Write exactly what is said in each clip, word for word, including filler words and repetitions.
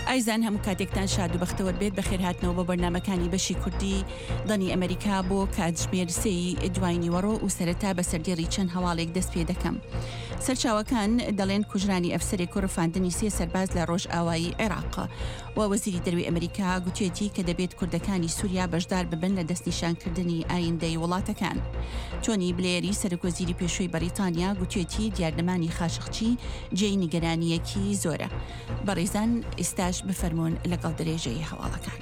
ئایزان هەموو کاتێکتان شاد و بەختەوەر بێت. بەخێرهاتنەوە بۆ بەرنامەکانی بەشی کوردی دەنگی ئەمریکا بۆ کاتژمێر سێی دوای نیوەڕۆ و سەرەتا بە سەردێڕی چەند هەواڵێک دەست پێ دەکەم. سەرچاوەکان دەڵێن کوژرانی ئەفسەرێک و ڕفاندنی سێ سەرباز لە ڕۆژئاوایی عێراق و وەزیری دەروی ئەمریکا گوتێتی کە دەبێت کوردەکانی سووریا بەشدار ببن لە دەستنیشانکردنی ئایندەی وڵاتەکان. تۆنی بلێری سەرۆک وەزیری پێشووی بەریتانیا گوتێتی دیارنەمانی خاشقچی جێی نیگەرانیەکی زۆرە. بەڕێزان ئێستاش بفەرمونون لەگەڵ درێژەی هەواڵەکان.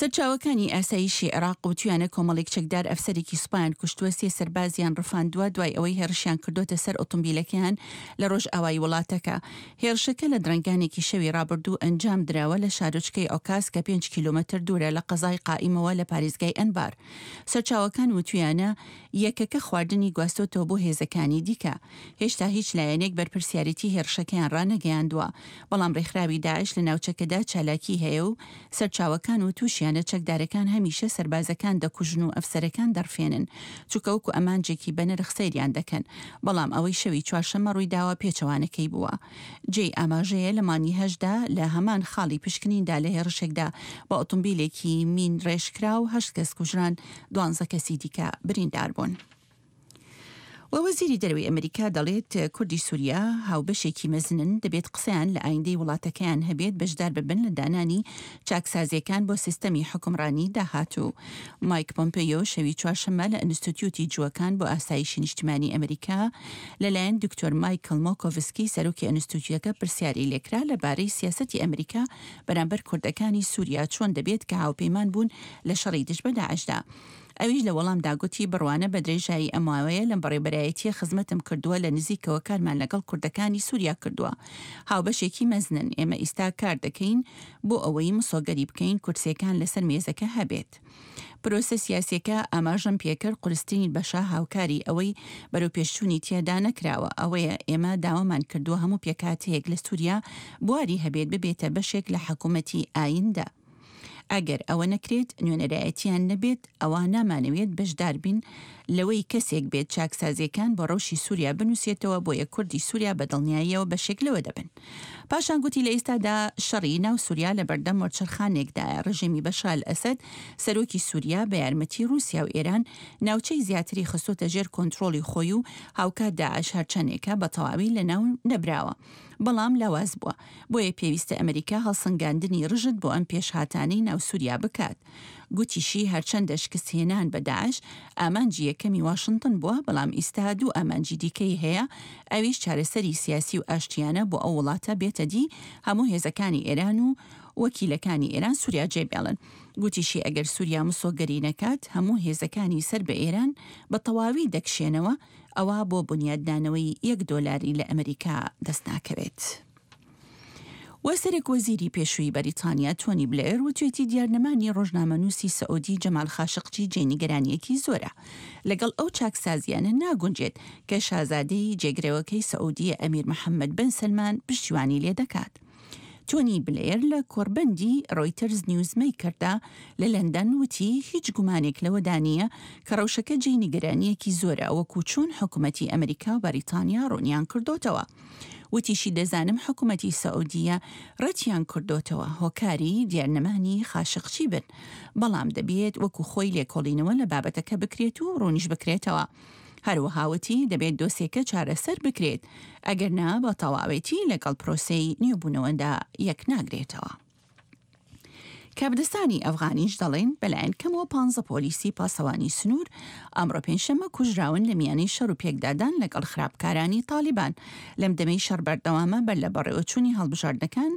سەرچاوەکانی ئاسایشی عێراق وتویانە کۆمەڵێک چەکدار ئەفسەرێکی سوپایان کوشتووە، سێ سەربازیان ڕفاندووە دوای ئەوەی هێرشیان کردوتە سەر ئۆتۆمبیلەکەیان لە ڕۆژئاوای وڵاتەکە. هێرشەکە لە درەنگانێکی شەوی ڕابردوو ئەنجام دراوە لە شارۆچکەی ئۆکاس کە پێنج کیلۆمەتر دوورە لە قەزای قائیمەوە لە پارێزگای ئەنبار. سەرچاوەکان وتویانە یەکەکە خواردنی گواستۆتەوە بۆ هێزەکانی دیکە. هێشتا هیچ لایەنێک بەرپرسیارێتی هێرشەکەیان ڕانەگەیاندووە، بەڵام ڕێکخراوی داعش لە ناوچەکەدا چالاکی هەیە و سەرچاوەکان وتوشیانە چەکدارەکان هەمیشە سەربازەکان دەکوژن و ئەفسەرەکان دەڕفێنن، چونکە وەکو ئەمانجێکی بەنرخ سەیریان دەکەن، بەڵام ئەوەی شەوی چوارشەممە ڕوویداوە پێچەوانەکەی بووە. جێی ئاماژەیە لە مانگی هەشتدا لە هەمان خاڵی پشکنیندا لە هێرشێکدا بە ئۆتۆمبیلێکی مین ڕێژکراو هەشت کەس کوژران، دوانزە کەسی دیکە بریندار بوون. و وەزیری دەرەوەی ئەمریکا دەڵێت کوردی سووریا هاوبەشێکی مەزنن، دەبێت قسەیان لە ئایندەی وڵاتەکەیان هەبێت، بەشدار ببن لە دانانی چاکسازیەکان بۆ سیستەمی حکومڕانی داهاتوو. مایک پۆمپێیۆ شەوی چوارشەممە لە ئەنستیتیوتی جووەکان بۆ ئاسایشی نیشتمانی ئەمریکا لەلایەن دکتۆر مایکل مۆکۆڤسکی سەرۆکی ئەنستیتیوتەکە پرسیاری لێکرا لەبارەی سیاسەتی ئەمریکا بەرامبەر کوردەکانی سووریا چۆن دەبێت کە هاوپەیمان بوون لە شەڕی دژ بە داعشدا. ئەویش لە وەڵامدا گوتی بڕوانە بە درێژایی ئەم ماوەیە لەم بەڕێوەبەرایەتیە خزمەتم کردووە، لە نزیکەوە کارمان لەگەڵ کوردەکانی سووریا کردووە، هاوبەشێکی مەزنن. ئێمە ئیستا کار دەکەین بۆ ئەوەی مسۆگەری بکەین کورسیەکان لەسەر مێزەکە هەبێت. پرۆسە سیاسیەکە ئاماژەم پێکرد قورسترین بەشە هاوکاری ئەوەی بەرەو پێشچوونی تێدا نەکراوە ئەوەیە ئێمە داوامان کردووە هەموو پێکهاتەیەک لە سووریا بواری هەبێت ببێتە بەشێک لە حکوومەتی ئایندە. ئەگەر ئەوە نەکرێت نوێنەرایەتیان نەبێت ئەوە نامانەوێت بەشدار بین لەوەی کەسێک بێت چاکسازیەکان بۆ ڕەوشی سووریا بنووسێتەوە، بۆیە کوردی سووریا بە دڵنیاییەوە بەشێک لەوە دەبن. پاشان گوتی لە ئێستادا شەڕی ناو سووریا لە بەردەم وەرچەرخانێکدایە. ڕژێمی بەشار ئەسەد سەرۆکی سووریا بە یارمەتی رووسیا و ئێران ناوچەی زیاتری خستۆتە ژێر کۆنترۆڵی خۆی و هاوکات داعش هەرچەندێکە بە تەواوی لە ناو نەبراوە، بەڵام لاواز بووە. بۆیە پێویستە ئەمریکا هەڵسەنگاندنی ڕژد بۆ ئەم پێشهاتانەی ناو سووریا بکات. گوتیشی هەرچەندە شکستهێنان بە داعش ئامانجی یەکەمی واشنگتن بووە، بەڵام ئیستا دوو ئامانجی دیکەی هەیە، ئەویش چارەسەری سیاسی و ئاشتیانە بۆ ئەو وڵاتە بێتە دی هەموو هێزەکانی ئێران و وەکیلەکانی ئێران سووریا جێبێڵن. گوتیشی ئەگەر سووریا مسۆگەری نەکات هەموو هێزەکانی سەر بە ئێران بە تەواوی دەکشێنەوە، ئەوە بۆ بنیادنانەوەی یەک دۆلاری لە ئەمریکا دەست ناکەوێت. و سەرۆک وەزیری پێشووی بەریتانیا تۆنی بلێر وتوێتی دیارنەمانی ڕۆژنامەنووسی سعودی جەمال خاشقچی جێی نیگەرانیەکی زۆرە، لەگەڵ ئەو چاکسازیانە ناگونجێت کە شازادەی جێگرەوەکەی سعودیە ئەمیر محەممەد بن سەلمان پشتیوانی لێ دەکات. تۆنی بلێر لە کۆربەندی ڕۆیتەرز نیوزمەیکەردا لە لەندەن وتی هیچ گومانێک لەوەدا نییە کە ڕەوشەکە جێی نیگەرانیەکی زۆرە، وەکو چۆن حکوومەتی ئەمریکا و بەریتانیا ڕوونیان کردۆتەوە. وتیشی دەزانم حکوومەتی سعودیە ڕەتیان کردۆتەوە هۆکاری دیارنەمانی خاشقچی بن، بەڵام دەبێت وەکو خۆی لێکۆڵینەوە لە بابەتەکە بکرێت و ڕوونیش بکرێتەوە. هەروەها وتی دەبێت دۆسیەکە چارەسەر بکرێت، ئەگەر نا بە تەواوێتی لەگەڵ پرۆسەی نوێبوونەوەدا یەک ناگرێتەوە. کاربەدەستانی ئەفغانیش دەڵێن بەلایەن کەمەوە پانزە پۆلیسی پاسەوانی سنوور ئەمڕۆ پێنجشەممە کوژراون لە میانەی شەڕ و پێکدادان لەگەڵ خراپکارانی تالیبان. لەم دەمەی شەڕ بەردەوامە بەر لە بەڕێوەچوونی هەڵبژاردنەکان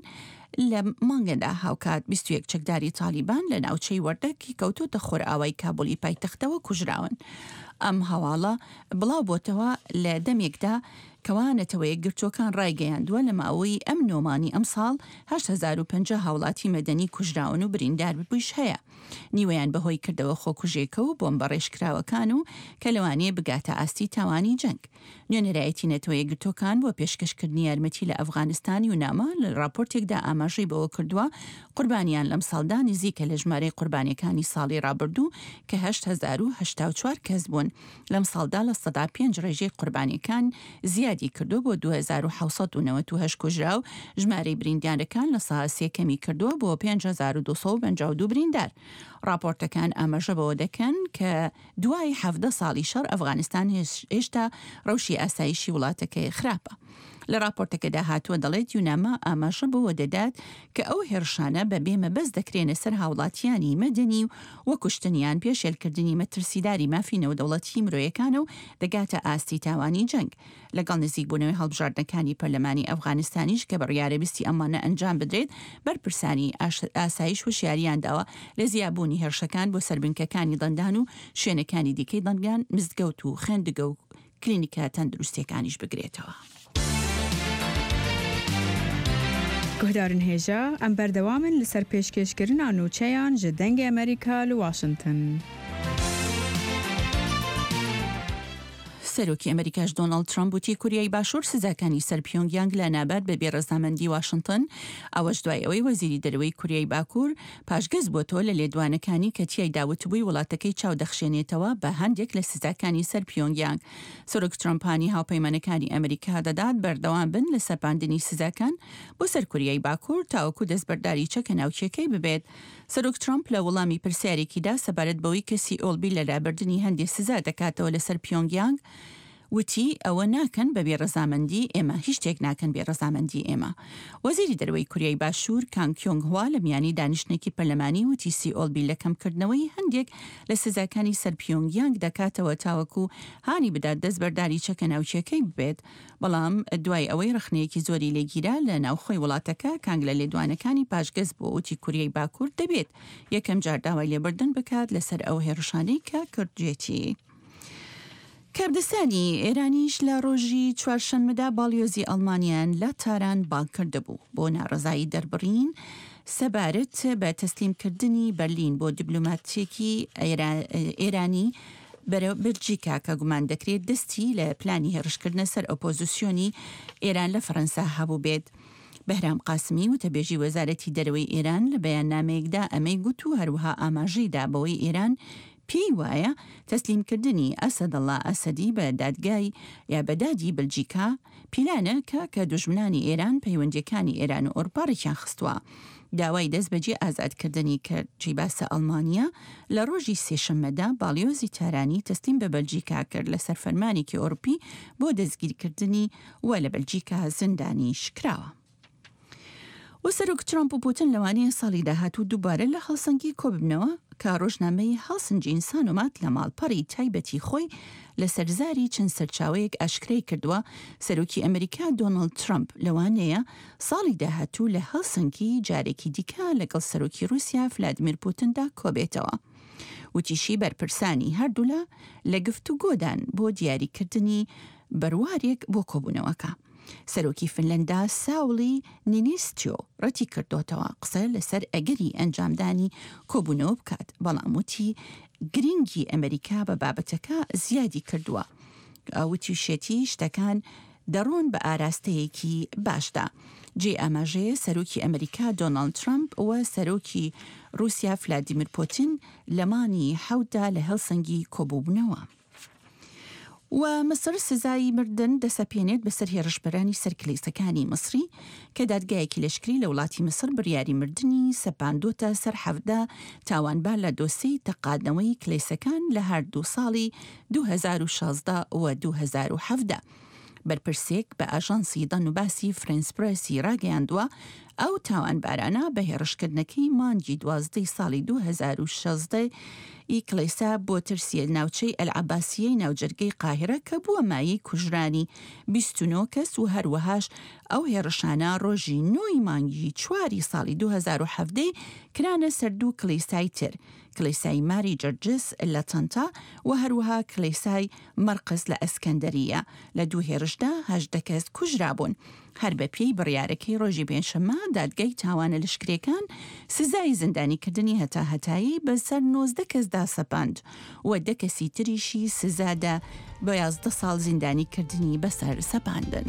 لە مانگەدا. هاوکات بیست و یەک چەکداری تالیبان لە ناوچەی وەردەکی کەوتۆتە خۆرئاوای کابولی پایتەختەوە کوژراون. ئەم هەواڵە بڵاو بۆتەوە لە دەمێکدا کەوا نەتەوە یەکگرتووەکان ڕایگەیاندووە لە ماوەی ئەم نۆمانی ئەمساڵ هەشت هەزار و پەنجا هاوڵاتی مەدەنی کوژراون و بریندار بوویش هەیە، نیوەیان بەهۆی کردەوە خۆکوژێکە و بۆمبە ڕێژکراوەکان و کە لەوانەیە بگاتە ئاستی تاوانی جەنگ. نوێنەرایەتی نەتەوە یەکگرتووەکان بۆ پێشکەشکردنی یارمەتی لە ئەفغانستان یوناما لە راپۆرتێکدا ئاماژەی بەوە کردووە قوربانیان لەم ساڵدا نزیکە لە ژمارەی قوربانیەکانی ساڵی ڕابردوو کە هەشت هەزار و هەشتا و چوار کەس بوون. لەم ساڵدا لە سەدا پێنج ڕێژەی قوربانیەکان زیادی کردووە بۆ دوو هەزار و حەوت سەد و نەوەد و هەشت کوژراو، ژمارەی بریندارەکان لە سەدا سێ کەمی کردووە بۆ پێنج هەزار و دوو سەد و پەنجا و دوو بریندار. ڕاپۆرتەکان ئاماژە بەوە دەکەن کە دوای حەڤدە ساڵی شەڕ ئەفغانستان هێشتا ڕەوشی ئاسایشی وڵاتەکەی خراپە. لە ڕاپۆرتەکەدا هاتووە دەڵێت یوناما ئاماژە بەوە دەدات کە ئەو هێرشانە بە بێ مەبەست دەکرێنە سەر هاوڵاتیانی مەدەنی و وەکوشتنیان پێشێلکردنی مەترسیداری مافی نێودەوڵەتی مرۆیەکانە و دەگاتە ئاستی تاوانی جەنگ. لەگەڵ نزیکبوونەوەی هەڵبژاردنەکانی پەرلەمانی ئەفغانستانیش کە بڕیارە بیستی ئەمانە ئەنجام بدرێت، بەرپرسانی ئاسایش هۆشیاریان داوە لە زیابوونی هێرشەکان بۆ سەر بنکەکانی دەنگدان و شوێنەکانی دیکەی دەنگدان، مزگەوت و خوێندگە و کلینیکە تەندروستیەکانیش بگرێتەوە. گوهدارن هێژا ئەم بەردەوامن لەسەر پێشکێشکردنا نوچەیان ji دەنگê ئەمریکا li واشنگتن. سەرۆکی ئەمریکاش دۆناڵد ترەمپ وتی کوریای باشوور سزاکانی سەر پیۆنگیانگ لە نابات بە بێڕەزامەندی واشنگتن، ئەوەش دوای ئەوەی وەزیری دەرەوەی کوریای باکوور پاشگەز بۆتەوە لە لێدوانەکانی کە تیایدا وتبووی وڵاتەکەی چاو دەخشێنێتەوە بە هەندێک لە سزاکانی سەر پیۆنگیانگ. سەرۆک ترەمپ هانی هاوپەیمانەکانی ئەمریکا دەدات بەردەوام بن لە سەپاندنی سزاکان بۆ سەر کوریای باکوور تاوەکو دەستبەرداری چەکە ناوکیەکەی ببێت. سەرۆک ترەمپ لە وەڵامی پرسیارێکیدا سەبارەت بەوەی کە سیئۆل بیر لە لابردنی هەندێک سزا دەکاتەوە لەسەر پیۆنگیانگ وتی ئەوە ناکەن بە بێڕەزامەندی ئێمە، هیچ شتێک ناکەن بێڕەزامەندی ئێمە. وەزیری دەرەوەی کوریای باشوور کانگ کیۆنگ هوا لە میانی دانیشتنێکی پەرلەمانی وتی سیئۆل بیر لە کەمکردنەوەی هەندێک لە سزاکانی سەر پیۆنگیانگ دەکاتەوە تاوەکو هانی بدات دەستبەرداری چەکە ناوکیەکەی ببێت. بەڵام دوای ئەوەی ڕەخنەیەکی زۆری لێگیرا لە ناوخۆی وڵاتەکە، کانگ لە لێدوانەکانی پاشگەز بووە وتی کوریای باکوور دەبێت یەکەم جار داوای لێبوردن بکات لەسەر ئەو هێرشانەی کە کردوێتی. کاردستانی ئێرانیش لە ڕۆژی چوارشەممەدا باڵیۆزی ئەڵمانیان لە تاران بانگ کردبوو بۆ ناڕەزایی دەربڕین سەبارەت بە تەسلیمکردنی بەرلین بۆ دیبلۆماتێکی ئێرانی بەرەو بەلجیکا کە گومان دەکرێت دەستی لە پلانی هێرشکردنە سەر ئۆپۆزیسیۆنی ئێران لە فەرەنسا هەبوو بێت. بەهرام قاسمی وتەبێژی وەزارەتی دەرەوەی ئێران لە بەیاننامەیەکدا ئەمەی گوت و هەروەها ئاماژەیدا بەوەی ئێران پێی وایە تەسلیمکردنی ئەسەدەڵا ئەسەدی بە دادگای یا بە دادی بەلجیکا پیلانە کە کە دوژمنانی ئێران پەیوەندیەکانی ئێران و ئەوروپا ڕێکیان خستووە. داوای دەستبەجێ ئازادکردنی کرد. جێی باسە ئەڵمانیا لە ڕۆژی سێشەممەدا باڵیۆزی تارانی تەسلیم بە بەلجیکا کرد لەسەر فەرمانێکی ئەوروپی بۆ دەستگیرکردنی و لە بەلجیکا زیندانیش کراوە. و سەرۆک ترەمپ و پوتن لەوانەیە ساڵی داهاتوو دووبارە لە هەڵسەنگی کۆببنەوە کە ڕۆژنامەی هەڵسنجین سانۆمات لە ماڵپەڕی تایبەتی خۆی لەسەر زاری چەند سەرچاوەیەک ئاشکرای کردووە. سەرۆکی ئەمریکا دۆناڵد ترەمپ لەوانەیە ساڵی داهاتوو لە هەڵسەنگی جارێکی دیکە لەگەڵ سەرۆکی رووسیا فلادیمیر پوتندا کۆبێتەوە. وتیشی بەرپرسانی هەردوولا لە گفتوگۆدان بۆ دیاریکردنی بەروارێک بۆ کۆبوونەوەکە. سەرۆکی فنلندا ساولی نینیستیۆ ڕەتی کردوتەوە قسە لەسەر ئەگەری ئەنجامدانی کۆبوونەوە بکات، بەڵام وتی گرنگی ئەمریکا بە بابەتەکە زیادی کردووە. وتیشێتی شتەکان دەڕۆن بە ئاراستەیەکی باشدا. جێ ئاماژەیە سەرۆکی ئەمریکا دۆناڵد ترەمپ و سەرۆکی رووسیا فلادیمیر پوتین لە مانگی حەوتدا لە هەلسەنگی کۆبوونەوە. و مصر سزای مردن دەسەپێنێت بەسەر هێرشبەرانی سەر کلیسەکانی مصری کە دادگایەکی لەشکری لە وڵاتی مصر بڕیاری مردنی سەپاندۆتە سەر حەڤدە تاوانبار لە دۆسیەی تەقادنەوەی کلیسەکان لە هەردوو ساڵی دوو هەزار و شازدە و دوو هەزار و حەڤدە. بەرپرسێک بە ئاژانسی دەنوباسی فرێنس پرێسی ڕاگەیاندووە ئەو تاوانبارانە بە هێرشکردنەکەی مانگی دوازدەی ساڵی دوو هەزار و شازدە ی کڵێسا بۆ ترسیە ناوچەی ئەلعەباسیەی ناوجەرگەی قاهیرە کە بووە مایەی کوژرانی بیست و نۆ کەس و هەروەهاش ئەو هێرشانە ڕۆژی نۆی مانگی چواری ساڵی دوو هەزار و حەڤدە کرانە سەر دوو کڵێسای تر، کڵێسای ماری جرجس لە تەنتا و هەروەها کڵێسای مەرقس لە ئەسکەندەریە. لە دوو هێرشدا هەژدە کەس کوژرابوون. هەر بە پێی بڕیارەکەی ڕۆژی پێنجشەممە دادگای تاوانە لەشکرێکان سزای زیندانیکردنی هەتا هەتایی بەسەر نۆزدە کەسدا سەپاند و دە کەسی تریشی سزادا بە یازدە ساڵ زیندانیکردنی بەسەر سەپاندن.